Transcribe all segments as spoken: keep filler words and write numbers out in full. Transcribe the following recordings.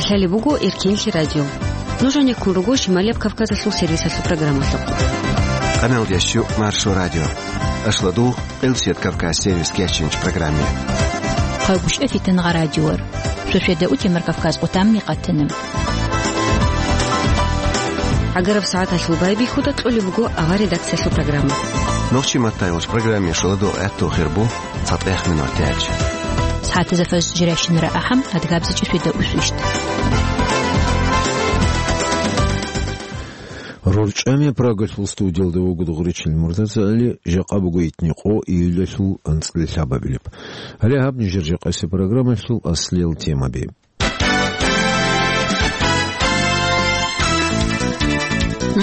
Лъалеб буго Эркенлъи радио. Нуж гьанеккун руго Шималияб Кавказалъул сервисалъул программалъухъ. Къаналдиясчу Маршо радио. Ашладу, Къилсият Кавказ сервис кечинч программе. Хъагушев Фитангъа радиор. Шошеда утемар Кавказ къутамни къатана. ГӀагараб сагӀаталъул байбихьуда кьолеб буго авар редакциялъул программа. Нохчи маттайолч программе шоладо гӀатту хирбу. ЦатӀехъ минуталъ. СагӀатазда фажр жирайщинара ахӀам, адгабзичӀеб шведа усвищт. РорчӀами Прагалъул студиялда вуго Дугъричил Муртазагьали, жакъа буго итни къо июлалъул анцӀила лъабабилеб. Гьале гьаб нижер жакъасеб программалъул аслиял темаби.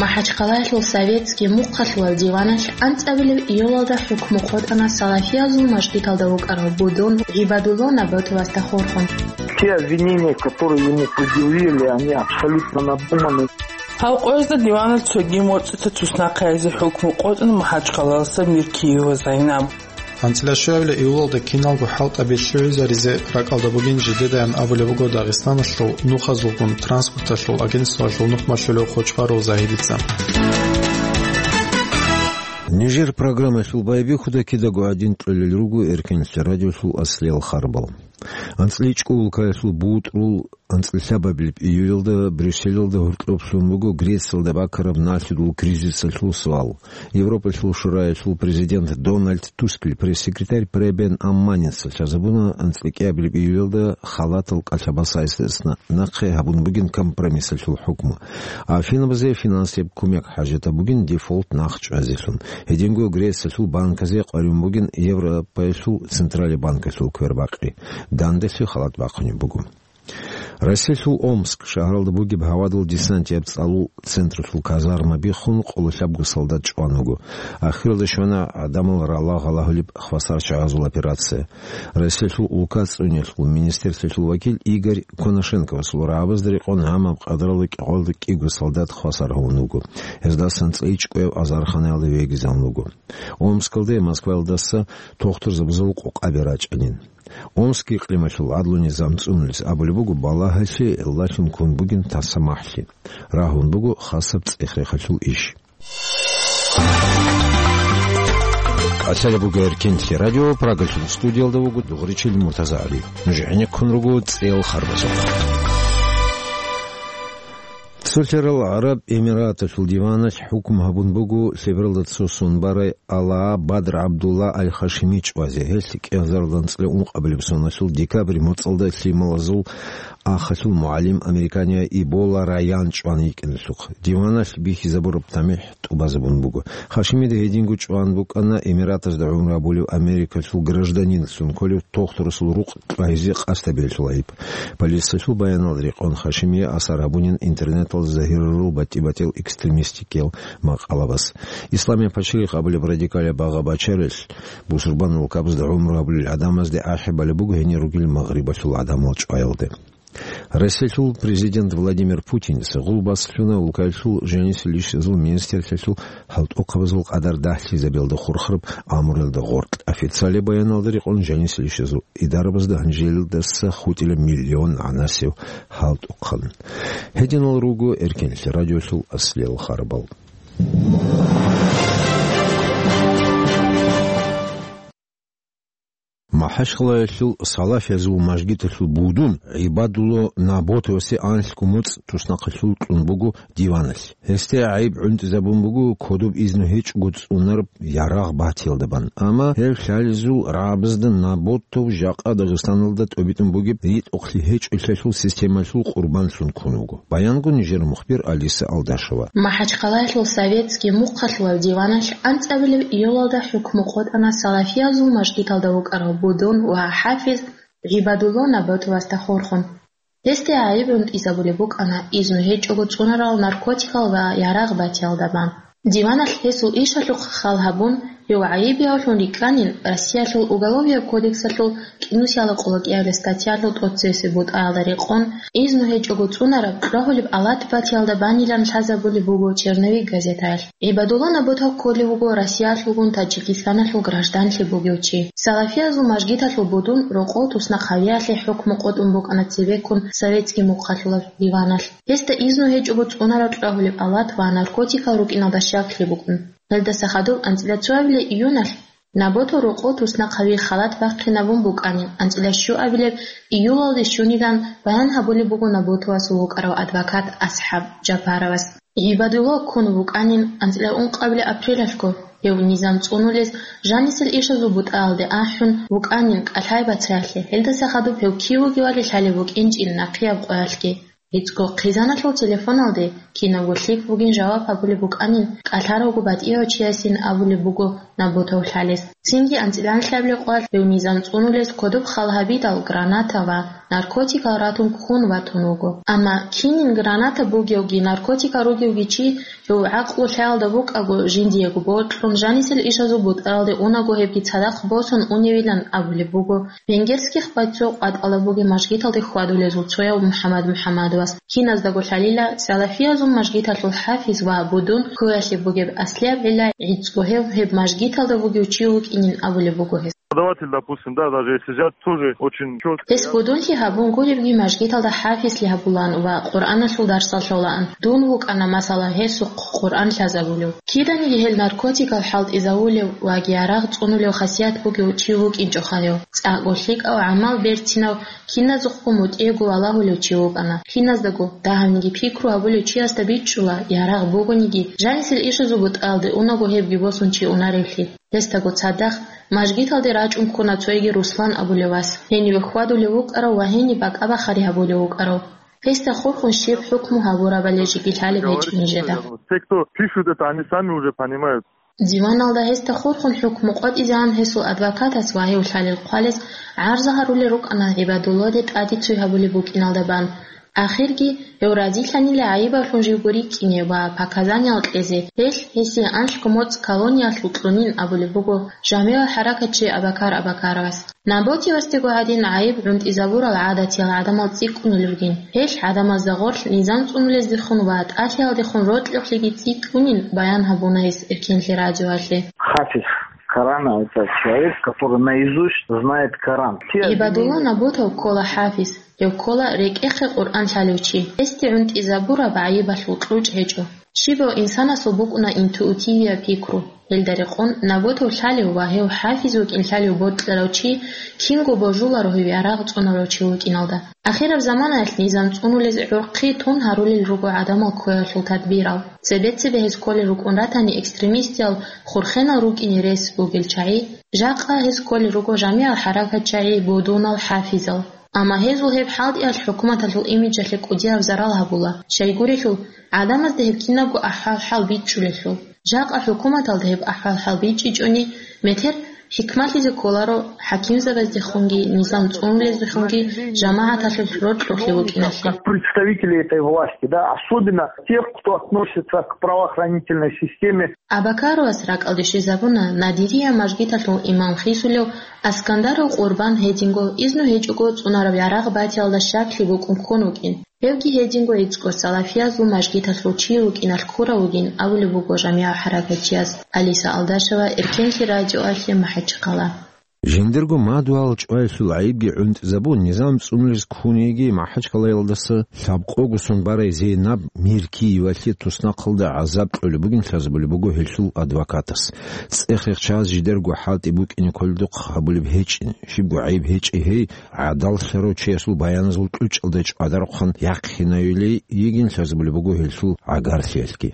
МахӀачхъалаялъул Советский мухъалъулал диваналъ анцӀабилеб июлалда хӀукму къотӀана салафиязул мажгиталда вукӀарав Будун ГӀибадулла Наботовасда хурхун. Те обвинения, которые ему предъявили, они абсолютно надуманы. Гьав къоязда диваналъ цоги моцӀица туснахъаязе хӀукму къотӀун МахӀачхъалаласа Миркиева Зайнаб. АнцӀила щуабилеб июлалда киналго хӀалтӀаби лъугӀизаризе ракӀалда бугин жидедайин абулеб буго Дагъистаналъул нухазулгун транспорталъул агентствоялъул нухмалъулев Хочбаров Загьидица. Нижер программалъул байбихьуда кидаго гӀадин кьолел руго Эркенлъи радиолъул аслиял харбал. АнцӀила чӀукӀул улкаялъул бутӀрул анцӀила лъабабилеб июлалда Брюсселалда гьоркьоб лъун буго Грециялда бакараб налъидул кризисалъул суал. Европалъул Шураялъул президент Дональд Тускил пресс-секретарь Пребен Амманица лъазабуна анцӀила кӀиабилеб июлалда халатал кӀалъабасайсдасна нахъе гьабун бугин компромиссалъул хӀукму. Афинабазе финансияб кумек хӀажатаб бугин дефолт нах чӀвазелъун. Гьединго Грециялъул банказе къваригӀун бугин Европаялъул Централияб банкалъул квербакъи. Данделъи халат бахъунеб буго. Россиялъул Омск шагьаралда бугеб гьавадул десантияб цӀалул централъул казарма биххун къоло лъабго солдат чӀван вуго. Ахиралда щвана гӀадамал рала гъалагьулеб хвасарчагӀазул операция. Россиялъул улка цӀуниялъул министерствоялъул вакил Игорь Конашенковасул рагӀабазда рекъон гьамаб къадралда кӀикъоялда кӀиго солдат хвасар гьавун вуго. Гьездасан цӀайичӀ кӀвев азарханаялда вегизавун вуго. Омскалде Москваялдаса тохтурзабазул къокъаби рачӀанин. Омскиялъ икълималъул гӀадлу-низам цӀунулес абулеб буго балагьалъе гӀиллалъун ккун бугин таса махӀлъи. Рагьун буго хасаб цӀех-рехалъул иш. КӀалъалеб буго Эркенлъи радио, Прагалъул студиялда вуго Дугъричил Муртазагьали. Нуж гӀенеккун руго цӀел харбазухъ. Цолъарал ГӀараб Эмираталъул диваналъ хӀукму гьабун буго лъебералда цо сон барай Алаа Бадр ГӀабдулла Аль-Хашими чӀвазе. Гьелъ кӀиазарилан цӀикӀкӀун къабилеб соналъул декабрь моцӀалда лъималазул ахалъул мугӀалим американияб Ибола Раян чӀван йикӀиналъухъ. Диваналъ бихьизабураб тамихӀ тӀубазабун буго. Хашимида гьединго чӀван букӀана Эмиратазда гӀумру гьабулев Америкалъул гражданинлъун кколев тохтурасул рукъ кьвагьизе къасд гьабиялъул гӀайиб. Полициялъул баяналда рекъон Хашимие асар гьабунин интернеталда загьирарул батӀи-батӀиял экстремистикиял макъалабаз. Исламияб пачалихъ абулеб радикалияб багъа-бачаралъ бусурбан улкабазда гӀумру гьабулел гӀадамазде ахӀи балеб буго гьенир ругел Магърибалъул гӀадамал чӀваялде. Россиялъул президент Владимир Путиница гъулбаслъуна улкаялъул жанисел ишазул министрлъиялъул хӀалтӀухъабазул къадар дагьлъизабиялда хурхараб амруялда гъоркь. Официалияб баяналда рекъон жанисел ишазул идарабазда гьанжелдаса хутӀила миллион гӀанасев хӀалтӀухъан. Гьединал руго Эркенлъи радиолъул аслиял харбал. МахӀачхъалаялъул салафиязул мажгиталъул будун ГӀибадулла Наботовасе анлъго моцӀ туснахъалъув кьун буго диваналъ. Гьесде гӀайиб гӀунтӀизабун буго кодоб изну гьечӀого цӀунараб ярагъ батиялда бан. Амма гьев лъалезул рагӀабазда Наботов жакъа Дагъистаналда тӀобитӀун бугеб ритӀухълъи гьечӀолъиялъул системалъул къурбанлъун ккун вуго. Баянго нижер мухбир Алиса Алдашева. МахӀачхъалаялъул Советский мухъалъулал диваналъ анцӀабилеб июлалда хӀукму къотӀана салафиязул мажгиталда вукӀарав будун ва хӀафиз ГӀибадулла Наботовасда хурхун. Гьесде гӀайиб гӀунтӀизабулеб букӀана изну гьечӀого цӀунарал наркотикал ва ярагъ батиялда бан. Диваналъ гьесул ишалъухъ хал гьабун, Гьев гӀайибиявлъун рикӀкӀанин Россиялъул Уголовияб кодексалъул кӀинусиялда къоло кӀиабилеб статьялъул тӀоцебесеб бутӀаялда рекъон, изну гьечӀого цӀунараб кьогьулеб алат батиялда банилан лъазабулеб буго «Черновик» газетаялъ. ГӀибадулла Наботов кколев вуго Россиялъулгун Таджикистаналъул гражданлъи бугев чи. Салафиязул мажгиталъул будун рокъов туснахъ гьавиялъе хӀукму къотӀун букӀана цебеккун советский мухъалъулаб диваналъ. Гьесда изну гьечӀого цӀунараб кьогьулеб алат ва наркотикал рукӀиналда щаклъи букӀун. Гьелдаса хадуб анцӀила цоабилеб июналъ Наботов рокъов туснахъ гьавиялъе халат бахъинабун букӀанин, анцӀила щуабилеб июлалде щунилан баян гьабулеб буго Наботовасул вукӀарав адвокат АсхӀаб Жапаровас. ГӀибадулла ккун вукӀанин анцӀила ункъабилеб апрелалъго, гьев низам цӀунулез жанисел ишазул бутӀаялде ахӀун вукӀанин кӀалъай бацаялъе, гьелдаса хадуб гьев кив вугевали лъалеб букӀинчӀин нахъияб къоялъги. ГӀицӀго хъизаналъул телефоналде кинабго лъикӀ бугин жаваб гьабулеб букӀанин, кӀалъаравго батӀияв чиясин абулеб буго Наботов лъалес. Цинги анцӀила нилъабилеб къоялъ гьев низам цӀунулез кодоб хал гьабидал граната ва наркотикал ратун ккун ватун вуго. Амма кинин граната бугевги, наркотикал ругевги чи, гьев гӀакълу лъаялда букӀаго, жиндиего бокьун, жанисел ишазул бутӀаялде унаго гьебги цадахъ босун уневилан абулеб буго. Венгерских байцо къватӀалаб бугеб мажгиталде хьвадулезул цояв МухӀаммад МухӀаммадовас. Киназдаго лъалила, салафиязул мажгиталъул хӀафиз ва будун ккоялъе бугеб аслияб гӀилла гӀицӀго гьев гьеб мажгиталда вугев чи вукӀинин абулеб буго гьес. Преподаватель, допустим, да, даже если взять, тоже очень чётко. Гьес будунлъи гьабун гуребги, мажгиталда хӀафизлъи гьабулаан ва Къуръаналъул дарсал лъолаан. Дун вукӀана, масала, гьесухъ Къуръан лъазабулев. Киданиги гьел наркотикал хӀалтӀизавулев ва ярагъ цӀунулев хасият бугев чи вукӀинчӀоха гьев. ЦӀакъго лъикӀав, гӀамал берцинав, киназухъго мутӀигӀго валагьулев чи вукӀана. Киназдаго, дагьабниги пикру гьабулев чиясда бичӀчӀула, ярагъ бугониги, жанисел ишазул бутӀаялде унаго гьебги босун чи унаревлъи. Гьесдаго цадахъ мажгиталде рачӀун ккуна цоги Руслан абулев вас, гьениве хьвадулев вукӀарав ва гьениб бакӀа-бахари гьабулев вукӀарав. Гьесда хурхун щиб хӀукму гьабурабали жеги лъалеб гьечӀин нижеда. Те, кто пишут это, они сами уже понимают. Диваналда гьесда хурхун хӀукму къотӀизегӀан гьесул адвокатас ва гьев лъалел хъвалес гӀарза гьарулел рукӀана ГӀибадулладе тӀаде цой гьабулеб букӀиналда бан. Ахирги, гьев разилъанила гӀайибавлъун живго рикӀкӀине ва показаниеял кьезе, гьелъ гьесие анлъго моцӀ колониялъул кьунин абулеб буго жамигӀал хӀаракатчи Абакар Абакаровас. Наботовасдего гьадин гӀайиб гӀунтӀизабурал гӀадатиял гӀадамал цӀикӀкӀунел ругин. Гьелъ гӀадамазда гъорлъ низам цӀунулездехун ва тӀалъиялдехун рокьулъги цӀикӀкӀунин баян гьабуна гьес Эркенлъи радиоялъе. Хафиз Корана — это человек, который наизусть знает Коран. ГӀибадулла Наботов ккола хӀафиз, гьев ккола рекӀехъе Къуръан лъалев чи. Гьесде гӀунтӀизабураб гӀайибалъул кьучӀ гьечӀо. Щибав инсанасул букӀуна интуитивияб пикру. Гьелда рекъон Наботов лъалев ва гьев хӀафиз вукӀин лъалев бокьарав чи кинго божуларо гьев ярагъ цӀунарав чи вукӀиналда. Ахираб заманаялъ низам цӀунулез гӀурхъи тун гьарулел руго гӀадамал ккоялъул тадбирал. Цебе-цебе гьез кколел рукӀун ратани экстремистиял, хурхенал рукӀине рес бугел чагӀи, жакъа гьез кколел руго жамигӀал хӀаракатчагӀи, будунал, хӀафизал. Амма гьезул гьеб хӀалтӀиялъ хӀукуматалъул имиджалъе кӀудияб зарал гьабула, щайгурелъул, гӀадамазда гьеб кинабго ахӀвал-хӀал бичӀчӀулелъул. Жакъа хӀукуматалда гьеб ахӀвал-хӀал бичӀчӀичӀони, метер хӀикмалъизе кколаро хӀакимзабаздехунги, низам цӀунулездехунги, жамагӀаталъул рокьулъ вукӀиналъе. Как представители этой власти, да, особенно тех, кто относится к правоохранительной системе. Абакаровас ракӀалде щвезабуна Надирия мажгиталъул имам хисулев Аскандаров Къурбан гьединго изну гьечӀого цӀунараб ярагъ батиялда щаклъи букӀун ккун вукӀин. Гьевги гьединго гӀицӀго салафиязул мажгиталъул чи вукӀиналъ ккурав вугин абулеб буго жамигӀал хӀаракатчияс Алиса Алдашева Эркенлъи радиоялъе МахӀачхъала. Жиндирго мадугьал чӀваялъул гӀайибги гӀунтӀизабун, низам цӀунулез ккун йиги МахӀачхъалаялдаса лъабкъого сон барай Зейнаб Миркиевалъе туснахъалда гӀазаб кьолеб бугин лъазабулеб буго гьелъул адвокатас. ЦӀех-рехчаз жидерго хӀалтӀи букӀине кколдухъ гьабулеб гьечӀин, щибго гӀайиб гьечӀей гьей, гӀадаллъарав чиясул баяназул кьучӀалда чӀвадарухъан яхъинайилей йигин лъазабулеб буго гьелъул гӀагарлъиялъги.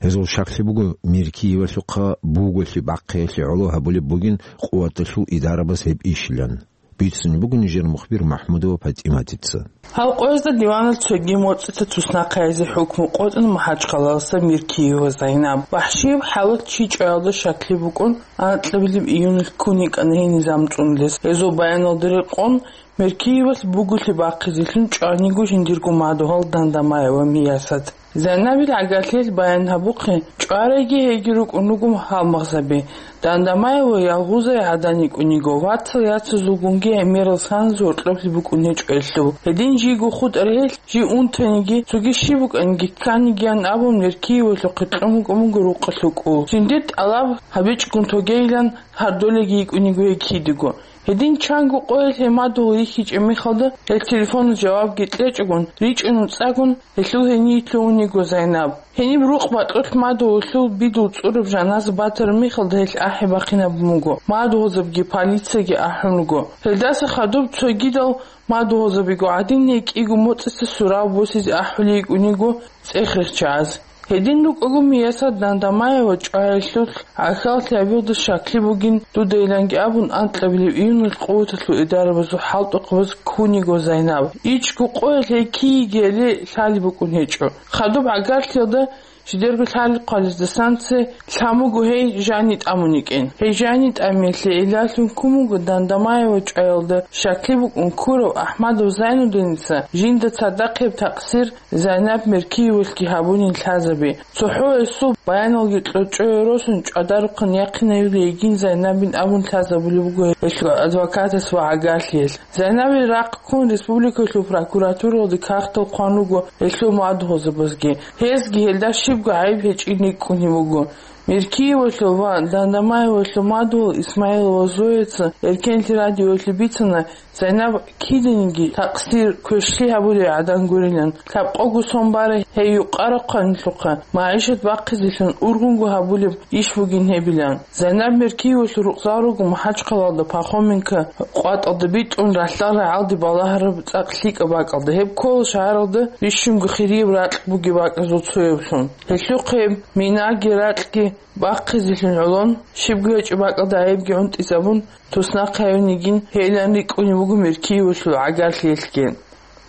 Гьезул щаклъи буго Миркиевалъухъа буголъи бахъиялъе гӀоло гьабулеб бугин къуваталъул идарабаз гьеб ишилан. Бицунеб буго нижер мухбир МахӀмудова ПатӀиматица. Гьав къоязда диванал цоги моцӀица туснахъ гьайзе хӀукму къотӀун МахӀачхъалалъа Миркиева Зайнаб. ВахӀшияб хӀалат чи чӀваялда щаклъи букӀун, анкьабилеб июнилъ ккун йикӀана гьей низам цӀунулез. Гьезул баяналда рекъон, Миркиевалъ буголъи бахъизелъун чӀваниго жиндирго мадугьал Дандамаева Миясат. Зайнабил гӀагарлъиялъ баян гьабухъе, чӀварайги гьейги рукӀун руго гьалмагъзаби. Дандамаева ялгъузай гӀадан йикӀун йиго, вацал яцазулгунги гӀемерал саназе гьоркьоблъи букӀун гьечӀо гьелъул. Гьедин жийго хутӀарай гьелъ, жий унтаниги, цоги щиб букӀаниги кканигиян абун, Меркиевалъухъе кьун букӀун буго рукъалъул кӀул. Жиндир тӀалаб гьабичӀгун тогейилан гьардолеги йикӀун йиго гьей кидаго. Гьедин чанго къоялъ гьей мадугьал рихьичӀеб мехалда, гьел телефонал жавабги кьечӀогун, ричӀчӀун цӀакъ гьелъул гьение лъугьун йиго Зайнаб. Гьениб рукъ бакьулъ мадугьалъул бидул цӀураб жаназа батараб мехалда гьелъ ахӀи бахъинабун буго, мадугьалзабиги полицияги ахӀун руго. Гьелдаса хадуб цогидал мадугьалзабиго гӀадин, гьей кӀиго моцӀица сурал босизе ахӀулей йикӀун йиго цӀех рехчагӀаз. Гьедин рукӀаго Миясат Дандамаева чӀваялъул гӀахьаллъи гьабиялда щаклъи бугин дудайиланги абун, анкьабилеб июналъ къуваталъул идарабазул хӀалтӀухъабаз ккун йиго Зайнаб. ИчӀго къоялъ гьей киги гьеле лъалеб букӀун гьечӀо. Хадуб гӀагарлъиялда жидерго лъалеб хъвалездасан цебе лъан буго гьей жани тӀамун йикӀин. Гьей жани тӀамиялъе гӀиллалъун ккун буго Дандамаева чӀваялда щаклъи букӀун ккурав АхӀмадов Зайнудиница жинда цадахъ гьеб такъсир Зайнаб Меркиевалъги гьабунин лъазаби. ЦохӀо гьесул баяналги кьочӀое росун чӀвадарухъан яхъинавила йигин Зайнабин абун лъазабулеб буго гьелъул адвокатас ва гӀагарлъиялъ. Зайнабил рахъ ккун республикалъул прокуратуралде кагътал хъван руго гьелъул мадугьалзабазги. Гьезги гьелда щибго гӀайиб гьечӀин рикӀкӀунеб буго. Меркиевалъул ва Дандамаевалъул мадугьал Исмаилова Зояца Эркенлъи радиоялъе бицана, Зайнаб киданиги такъсир, квешлъи гьабулей гӀадан гурилан. Лъабкъого сон барай гьей юкъарахъанлъухъа, магӀишат бахъизелъун ургъунго гьабулеб иш бугин гьебилан. Зайнаб Меркиевалъул рукъзал руго МахӀачхъалаялда Пахоменко къватӀалда битӀун ралъдал рагӀалде балагьараб цӀакъ лъикӀаб бакӀалда. Гьеб ккола шагьаралда бищунго хирияб ракь бугеб бакӀазул цояблъун. Гьелъухъе минаги ракьги бахъизелъун гӀолон, щибго гьечӀеб бакӀалда гӀайибги гӀунтӀизабун, туснахъе гьавин йигин гьейилан рикӀкӀунеб буго Меркиевалъул гӀагарлъиялъги.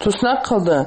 Туснахъалда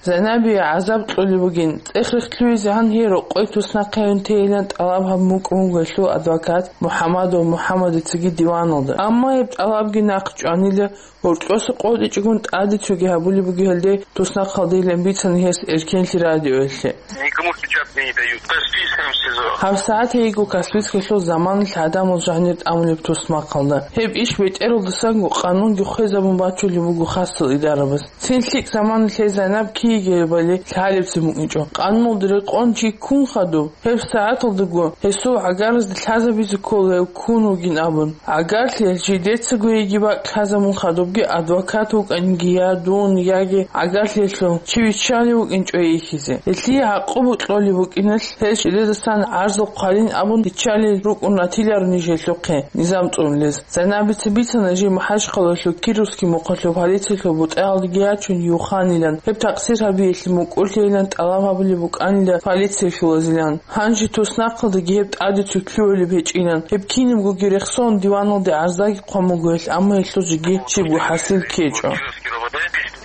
Зайнабие гӀазаб кьолеб бугин, цӀех рехтӀлъугьизегӀан гьей рокъой туснахъе гьавин тейилан тӀалаб гьабун букӀун буго гьелъул адвокат МухӀамадов МухӀамадицаги диваналда. Амма гьеб тӀалабги нахъчӀванила, гьоркьоса къотӀичӀогун тӀаде цоги гьабулеб буго гьелде, туснахъалдейилан бицана гьес Эркенлъи радиоялъе. Никому в печать не дают. Каспийском СИЗО. ГьабсагӀат гьейго Каспийскалъул заманалъ гӀадамал жанир тӀамулеб туснахъалда. Гьеб иш бетӀералдасанго къанунги хвезабун бачулеб буго хасал идарабаз. Цин лъикӀ заманалъ гьей Зайнаб киги гьебали лъалебцин букӀинчӀо. Къануналда рекъон чи ккун хадуб, гьеб сагӀаталдаго гьесул гӀагаразде лъазабизе ккола гьев ккун вугин абун. ГӀагарлъиялъ жидецаго йиги бакӀ лъазабун хадубги, адвокат вукӀаниги, я дун, яги гӀагарлъиялъул чи виччалев вукӀинчӀо йихьизе. Гьелъие гӀакъуба кьолеб букӀиналъ, гьел жидедасан гӀарзал хъвалин абун, биччалел рукӀун ратиларо ниж гьелъухъе низам цӀунулез. Зайнабица бицана жий МахӀачхъалаялъул Кировский мухъалъул полициялъул бутӀаялдеги ячун юханилан, гьеб такъсир гьабиялъе мукӀурлъейилан тӀалаб гьабулеб букӀанила полициялъулазилан. Гьанже туснахъалдаги гьеб тӀаде цоги лъугӀулеб гьечӀилан, гьеб кинабгоги рехсон диваналде гӀарзаги хъван буго гьелъ, амма гьелъул жеги щибго хӀасил ккечӀо.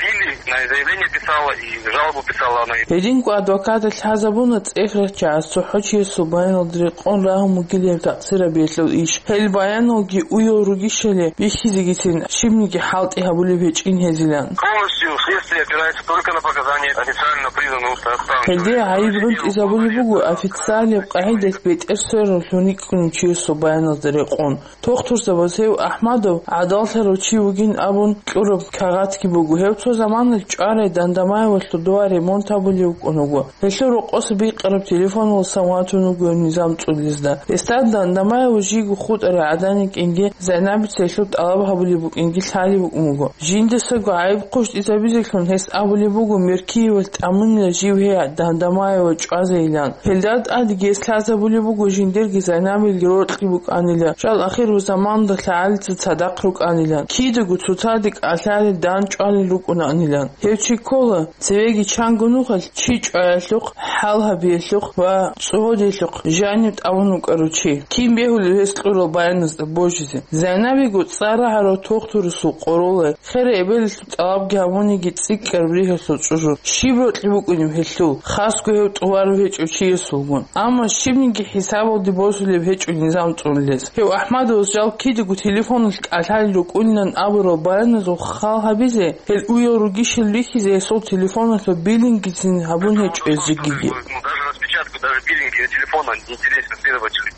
Били на заявление писала и жалобу писала на. Гьединго адвокаталъ лъазабуна цӀех рехчагӀаз цохӀо чиясул баяналда рекъон рагьун бугила гьеб такъсир гьабиялъул иш. Гьел баяналги уял ругищали бихьизегицин щибниги хӀалтӀи гьабулеб гьечӀин гьезилан. Полностью следствие опирается только на показания официально признанных. Гьелде гӀайиб гӀунтӀизабулеб буго официалияб къагӀидалъ бетӀер сверун лъугьун йикӀкӀунев чиясул баяналда рекъон. Тухтурзабаз гьев АхӀмадов гӀадаллъарав чи вугин абун кьураб кагъатги буго. Гьев цо заманалъ чӀварай Дандамаевалъул дова ремонт гьабулев вукӀун вуго. Гьелъул рокъоса бикъараб телефонал самватун вуго низам цӀулизда. Гьесда Дандамаева жийго хутӀарай гӀадан йикӀинги, Зайнабица гьелъул тӀалаб гьабулеб букӀинги лъалеб букӀун буго. Жиндасаго гӀайиб хъущтӀизабизеблъун гьес абулеб буго Меркиевалъ тӀамунила жив гьей Дандамаева чӀвазейилан. Гьелда тӀадеги гьес лъазабулеб буго жиндирги Зайнабилги рокьи букӀанила, жал ахирзаманда лъагӀалица цадахъ рукӀанилан, кидаго цоцаде кӀалъалел дандчӀвалел рукӀунаанилан. Гьев чи ккола, цевеги чанго нухалъ чи чӀваялъухъ, хӀал гьабиялъухъ ва цӀодиялъухъ жанив тӀамун вукӀарав чи. Кин бегьулев гьес кьурал баяназда божизе? Зайнабиго цӀар рагӀарав тухтурасул къоролай, херай эбелалъул тӀалабги гьабун, Гьебги цӀикӀкӀараб ригьалъул чӀужу. Щиб рокьи букӀунеб гьелъул, хасго гьев тӀубараб гьечӀев чиясулгун. Амма щибниги хӀисабалде босулеб гьечӀо низам цӀунулес. Гьев АхӀмадовас жал кидаго телефоналъ кӀалъалел рукӀунилан абурал баяназул хал гьабизе, гьел уял ругищал рихьизе гьесул телефоналъул билингицин гьабун гьечӀо гьезегиги.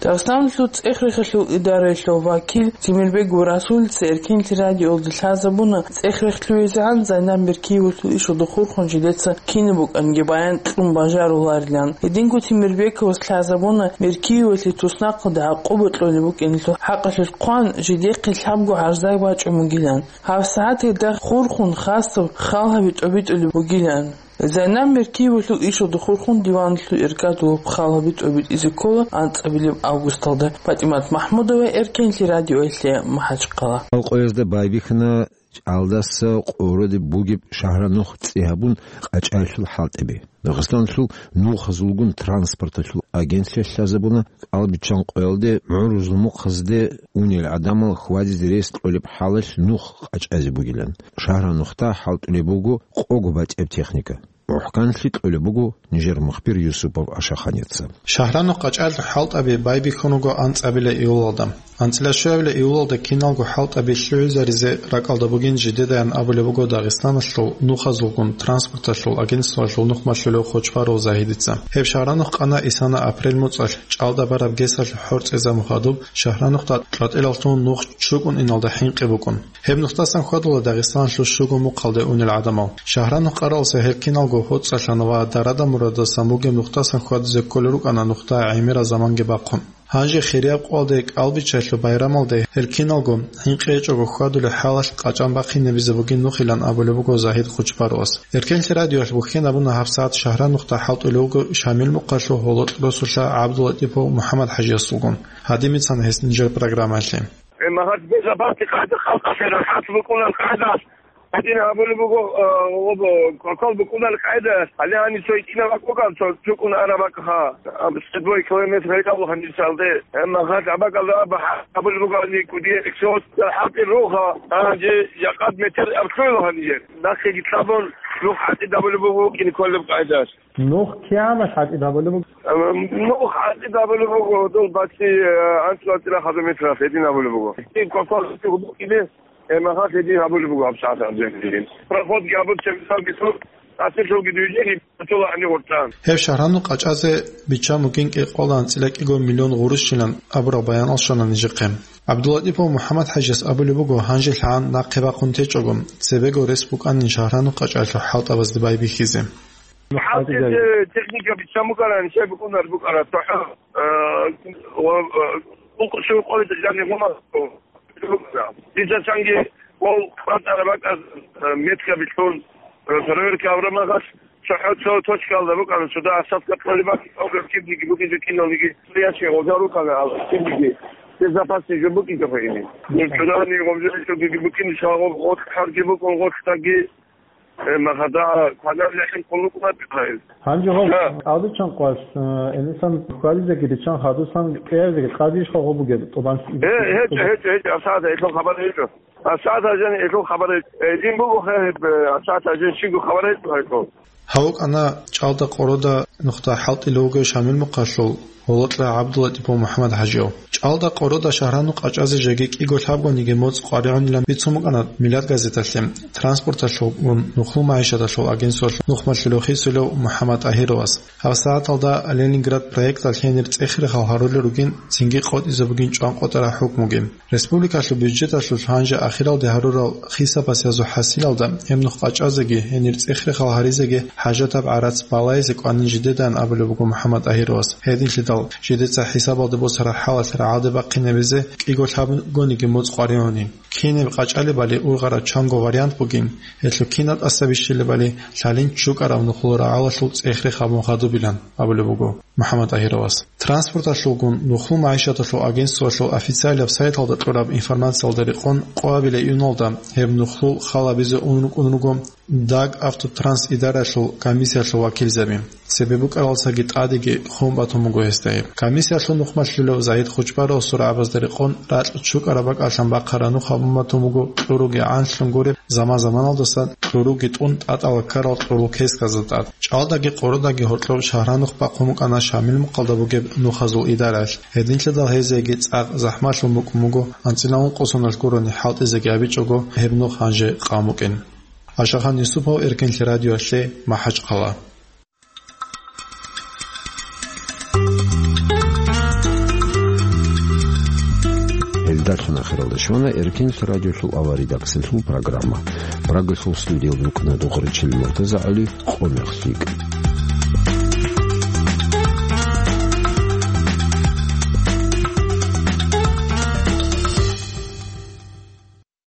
Дагъистаналъул цӀех-рехиялъул идараялъул вакил Темирбегов Расулица Эркенлъи радиоялда лъазабуна, цӀех-рехлъугьизегӀан Зайнаб Меркиевалъул ишалда хурхун жидеца кинаб букӀанги баян кьун бажаруларилан. Гьединго Темирбековас лъазабуна, Меркиевалъе туснахъалда гӀакъуба кьолеб букӀиналъул хӀакъалъулъ хъван, жидехъе лъабго гӀарза бачӀун бугилан. ГьабсагӀат гьелда хурхун хасаб хал гьаби тӀобитӀулеб бугилан. Зайнаб Меркиевалъул ишалда хурхун диваналъул иргадулаб хал гьаби тӀобитӀизе ккола анцӀабилеб августалда. ПатӀимат Махмудова, Эркенлъи радиоялъе, МахӀачхъала. Къоязда байбихьана чӀалдаса къоролде бугеб шагьранухъ цӀи гьабун къачӀаялъул хӀалтӀаби. Дагъистаналъул нухазулгун транспорталъул агентствоялъ лъазабуна, кӀал биччан къоялде гӀурузул мухъазде унел гӀадамал хьвадизе рес кьолеб хӀалалъ нух къачӀазе бугилан. Шагьранухъда хӀалтӀулеб буго къого батӀияб техника. МухӀканлъи кьолеб буго нижер мухбир Юсупов Ашаханица. Шагьранухъ къачӀаялъул хӀалтӀаби байбихьун руго анцӀабила июлалда. АнцӀила щуабила июлалда киналго хӀалтӀаби лъугӀизаризе ракӀалда бугин жидедаян абулеб буго Дагъистаналъул нухазулгун транспорталъул агентствоялъул нухмалъулев Хочбаров Загьидица. Гьеб шагьранухъ къана исана апрель муцӀалъ, чӀалда бараб гесалъул хӀорцӀизабун хадуб, шагьранухъда кьватӀилалъун нух чукӀун иналда хӀинкъи букӀун. Гьеб нухдасан хьвадула Дагъистаналъул щуго мухъалде унел гӀадамал. Шагьранухъ къаралса гьел киналго гьоцӀалъана ва дарада-мурадасан бугеб нухдасан хьвадизе кколел рукӀана нухда гӀемерал заманги бахъун. Гьанже хирияб къоялде кӀалбиччалъул байрамалде гьел киналго хӀинкъи гьечӀого хьвадулеб хӀалалъ къачӀан бахъинабизе бугин нухилан абулеб буго Загьид Хочбаровас. Эркенлъи радиоялъ бухьен абуна гьабсагӀат шагьранухъда хӀалтӀулев вуго Шамил мухъалъул гьоло росулъа ГӀабдулатӀипов МухӀаммад-хӀажиясулгун. Гьадинаб бицана гьес нижер программаялъе. Э, магьад безабанти къайда халкъалъе рахӀат букӀунал къайдалъ, гьадин гьабулеб буго, э, об-, кокал букӀунал къайда, гьале гьаниб цо итӀинаб бакӀ букӀан, цо чукӀун араб бакӀха, аб-, сто километр гьечӀо гьаниб цалде. Э, магьад абакӀалда аб-, гьабулеб буго гьаниб кӀудиял эксиос, хӀалтӀи руха, гьанже жакъад метр абхъула гьаниб. Нахъеги лъабун, нух хӀалтӀи гьабулеб буго кин кколеб къайдалъ. Нух кигӀан хӀалтӀи гьабулеб буго? Э, нух хӀалтӀи гьабулеб буго, дол бацӀи, э, анцӀила цӀирахъазул метралъ гьедин гьабулеб буго. Гьедин квалквал букӀине, э, магьад гьедин гьабулеб буго гьабсагӀат гьанже. Проходги гьабун, чебисалги сур, асирлъулги дуйжеги, батула гьанив гъуртӀан. Гьеб шагьранухъ къачӀазе биччан бугин кӀикъоялда анцӀила кӀиго миллион гъурущилан абураб баянал щвана нижехъе. ГӀабдулатӀипов МухӀаммад-хӀажияс абулеб буго, гьанже лъагӀан нахъе бахъун течӀого, цебего рес букӀанин шагьранухъ къачӀаялъул хӀалтӀабазде байбихьизе. ХӀалтӀизе техника биччан букӀарани, щай букӀунар букӀара, цохӀо, э, ва, э, ункъо-щуго къоялда жаниб гьума букӀара. Дица чанги къол къватӀараб бакӀаз, э, метка билълъун, э, проверка гьабураб мехалъ, цохӀо цо точкаялда букӀана, цода осадка кьолеб бакӀ, кибниги букӀинчӀо киналниги, ящик гъоза рукӀана, кибниги безопасный жо букӀинчӀо гьайни. Цодани гъомжо букӀин, шагъо гъоцӀ хӀарги букӀун, гъоцӀ таги, Э, магьада квадар лехӀин хъулукъ батӀа. Гьанже гьав Гьа. КӀалдичан къваш, э, Энисан хьвадизеги риччан хадусан кӀиявизеги къадиш хал гъо бугеб тӀубан. Э, гьечӀо, гьечӀо, гьечӀо, асада, элъул хабар гьечӀо. Асада жан элъул хабар гьечӀо. Э, дин буго хе, э, асада жан щинго хабар гьечӀо, гьечӀо. Гьав вукӀана чӀалда къорода нухда хӀалтӀулев вугев Шамил мухъалъул гьолокьа ГӀабдулатӀипов МухӀаммад-хӀажияв. ЧӀалда къорода шагьранухъ къачӀазе жеги кӀиго лъабгониги моцӀ къваригӀунилан бицун букӀана Миладгазеталъе транспорталъулгун нухлу магӀишаталъул агентствоялъул нухмалъулев хисулев МухӀаммад ТӀагьировас. ГьабсагӀаталда Ленинград проекталъ гьенир цӀех-рехал гьарулел ругин, цинги къотӀизе бугин чӀван къотӀараб хӀукмуги. Республикалъул бюджеталъулъ гьанже ахиралде гьарурал хисабасиязул хӀасилалда гьеб нух къачӀазеги, гьенир цӀех-рехал гьаризеги хӀажатаб гӀарац балайзе кӀванин жидедаан абулеб буго МухӀаммад ТӀагьировас. Гьединлъидал жидеца хӀисабалде босараб хӀалалъ рагӀалде бахъинабизе кӀиго лъабгониги моцӀ къваригӀуни. Кинаб къачӀалебали ургъараб чанго вариант бугин, гьелъул кинаб тӀаса бищилебали лъалин чӀукӀараб нухлул рагӀалалъул цӀех-рех гьабун хадубилан абулеб буго МухӀаммад ТӀагьировас. Транспорталъулгун нухлу магӀишаталъул агентствоялъул официалияб сайталда кьураб информациялда рекъон, къоабилеб июналда гьеб нухлул хал гьабизе ун рукӀун руго Дагавтотранс идаралъул комиссиялъул вакилзаби. Цебе букӀаралдасаги тӀадеги хун батун буго гьесда гьеб. Комиссиялъул нухмалъулев Загьид Хучбаровасул рагӀабазда рекъон ракь чукӀараб бакӀалъан бахъараб нух гьабун батун буго кьуруги гӀанлъун гуреб заман-заманалдаса кьуруги тӀун тӀатӀала ккарал кьурул кесказда тӀад. ЧӀалдаги къоркьдаги гьоркьоб шагьранухъ бахъун букӀана Шамил мухъалда бугеб нухазул идаралъ. Гьединлъидал гьезиеги цӀакъ захӀмалъун букӀун буго, анцӀила ункъо соналъ гурони хӀалтӀизеги абичӀого, гьеб нух гьанже къан букӀин. Ашахан Юсупов, Эркенлъи радиоялъе, МахӀачхъала. Гьелдалъун ахиралда щвана Эркенлъи радиолъул авария редакциялъул программа. Прагалъул студиялда рукӀана Дугъричил МуртазагӀали. Къо мехалъ йикӀа.